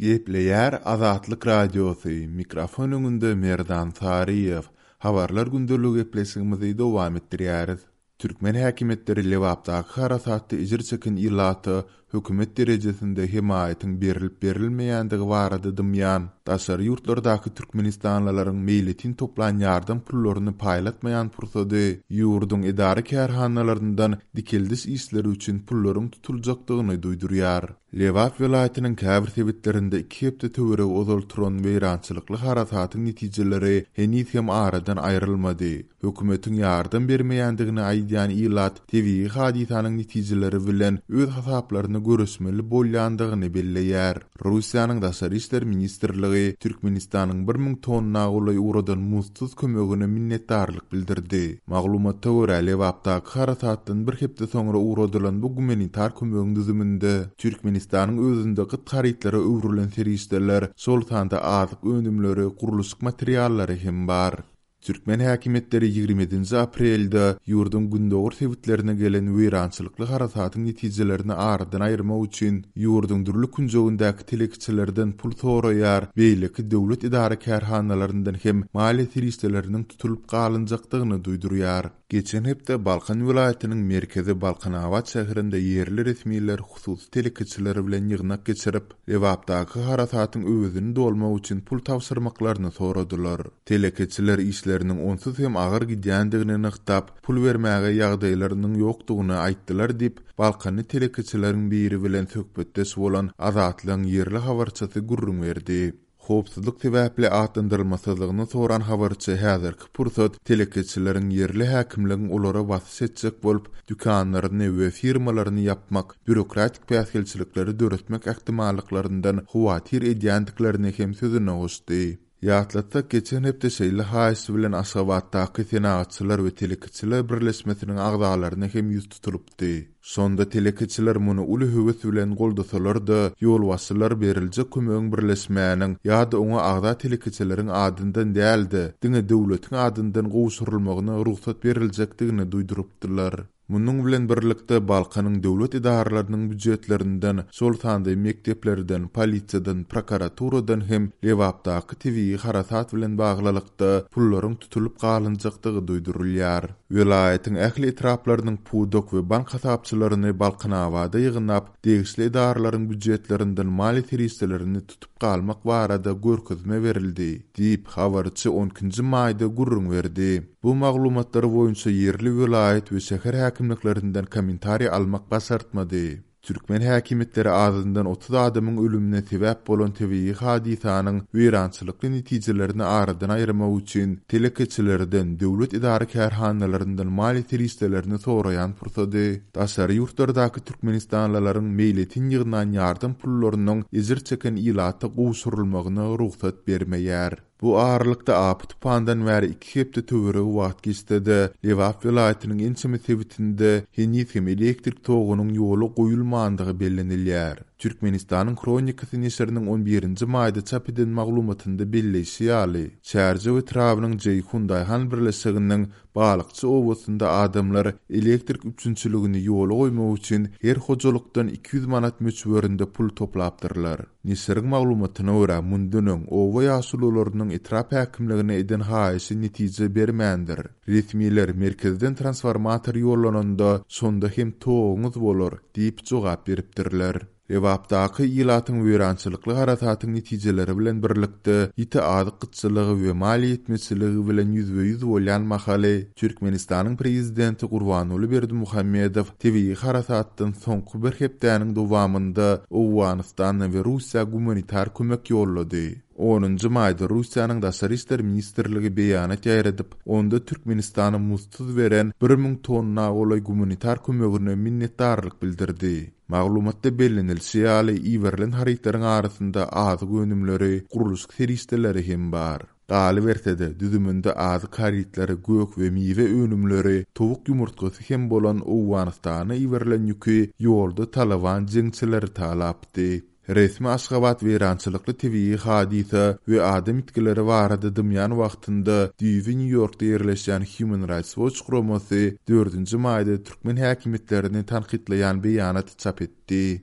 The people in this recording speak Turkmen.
Gepleýär Azatlyk Radiosy, mikrofon öňünde Merdan Saryýew. Habarlar gündeligi gepleşigimizi dowam etdirýäris. Türkmen häkimiýetleri Lebapdaky harasatda ejir çeken ilata hökümet derejesinde hemaýatyň berlip-berilmeýändigi barada dymýan, daşary ýurtlardaky türkmenistanlylaryň meýletin toplan ýardam pullaryny paýlatmaýan pursady ýurduň edara-kärhanalaryndan dikeldiş işleri üçin pullaryň tutuljakdygyny duýdurýar. Lebap welaýatynyň käbir sebitlerinde iki hepde töweregi ozal turan weýrançylykly harasatyň netijeleri heniz hem aradan aýrylmady. Hökümetiň ýardam bermeýändigini aýdýan ilat tebigy hadysanyň netijeleri bilen öz hasaplaryna göreşmeli bolýandygyny belleýär. Russiýanyň Daşary işler ministrligi Türkmenistanyň 1000 tonna golaý ugradan muzdsuz kömegine minnetdarlyk bildirdi. Maglumata görä, Lebapdaky harasatdan bir hepde soňra ugradylan bu gumanitar kömegiň düzüminde Türkmenistanyň özünde gyt harytlara öwrülen serişdeler, şol sanda azyk önümleri, gurluşyk materiallary hem bar. Türkmen häkimiýetleri 27-nji aprelde ýurduň gündogar sebitlerine gelen weýrançylykly harasatyň netijelerini aradan aýyrmak üçin ýurduň dürli künjegindäki telekeçilerden pul soraýar, beýleki döwlet edara-kärhanalaryndan hem maliýe serişdeleriniň tutulyp galynjakdygyny duýdurýar. Geçen hepde Balkan welaýatynyň merkezi Balkanabat şäherinde ýerli resmiler hususy telekeçiler bilen ýygnak geçirip, Lebapdaky harasatyň öwezini dolmak üçin pul tabşyrmaklaryny soradylar. Telekeçiler işleriniň onsuz hem agyr gidýändigini nygtap, pul bermäge ýagdaýlarynyň ýokdugyny aýtdylar diýip, balkanly telekeçileriň biri bilen söhbetdeş bolan Azatlygyň ýerli habarçysy gürrüň berdi. Howpsuzlyk sebäpli atlandyrylmasyzlygyny soran habarçy häzirki pursat telekeçileriň ýerli häkimligiň olara basyş etjek bolup, dükanlaryny we firmalaryny ýapmak, býurokratik päsgelçilikleri döretmek ähtimallyklaryndan howatyr edýändiklerini hem sözüne goşdy. Ýatlatsak, geçen hepde şeýle haýyş bilen Aşgabatdaky Senagatçylar we telekeçiler birleşmesiniň agzalaryna hem ýüz tutulypdy. Şonda telekeçiler muny uly höwes bilen goldasalar-da, ýolbaşçylar beriljek kömegiň birleşmäniň ýa-da oňa agza telekeçileriň adyndan däl-de, diňe döwletiň adyndan gowşurylmagyna rugsat beriljekdigini duýdurypdylar. Munuň bilen birlikde, Balkanyň döwlet edaralarynyň býujetlerinden, şol sanda mekdeplerden, polisiýadan, prokuraturadan hem Lebapdaky tebigy harasat bilen baglylykda pullaryň tutulyp galynjakdygy duýdurylýar. Welaýatyň ähli etraplarynyň pudak we bank hasapçylaryny Balkanabada ýygnap, degişli edaralaryň býujetlerinden maliýe serişdelerini tutup galmak barada görkezme berildi, diýip, habarçy on ikinji maýda gürrüň berdi. Bu maglumatlar boýunça ýerli welaýat we şäher häkimliklerinden kommentariý almak başartmady. Türkmen häkimiýetleri azyndan 30 adamyň ölümine sebäp bolan tebigy hadysanyň weýrançylykly netijelerini aradan aýyrmak üçin telekeçilerden, döwlet edara-kärhanalaryndan maliýe serişdelerini soraýan pursady, daşary ýurtlardaky türkmenistanlylaryň meýletin ýygnan ýardam pullarynyň ejir çeken ilata gowşurylmagyna rugsat bermeýär. Bu aralykda apy-tupandan bäri iki hepde töweregi wagt geçse-de, Lebap welaýatynyň ençeme sebitinde heniz hem elektrik togunyň ýola goýulmandygy bellenilýär. Türkmenistanyň Hronikasy neşiriniň on birinji maýda çap eden maglumatynda belleýşi ýaly, Çärjew etrabynyň Jeýhun daýhan birleşiginiň Balykçy obasynda adamlar elektrik üpjünçiligini ýola goýmak üçin her hojalykdan 200 manat möçberinde pul toplapdyrlar. Neşiriň maglumatyna görä, mundan öň oba ýaşulularynyň etrap häkimligine eden haýyşy netije bermändir. Resmiler merkezden transformator ýollananda, şonda hem toguňyz bolar diýip jogap beripdirler. Lebapdaky ilatyň weýrançylykly harasatyň netijeleri bilen birlikde, ýiti azyk gytçylygy we maliýe ýetmezçiligi bilen ýüzbe-ýüz bolýan mahaly, Türkmenistanyň prezidenti Gurbanguly Berdimuhamedow tebigy harasatdan soňky bir hepdäniň dowamynda Owganystana we Russiýa gumanitar kömek ýollady. Onunjy maýda Russiýanyň Daşary işler ministrligi beýanat ýaýradyp, onda Türkmenistana muzdsuz beren 1000 tonna golaý gumanitar kömegine minnetdarlyk bildirdi. Maglumatda bellenilişi ýaly, iberilen harytlaryň arasynda azyk önümleri, gurluşyk serişdeleri hem bar. Galyberse-de, düzüminde azyk harytlary, gök we miwe önümleri, towuk ýumurtgasy hem bolan Owganystana iberilen ýüki ýolda Talyban jeňçileri talapdy. Resmi Aşgabat weýrançylykly tebigy hadysa we adam ýitgileri barada dymýan wagtynda düýbi Nýu-Ýorkda ýerleşýän Human Rights Watch guramasy dördünji maýda türkmen häkimiýetlerini tankytlaýan beýanat çap etdi.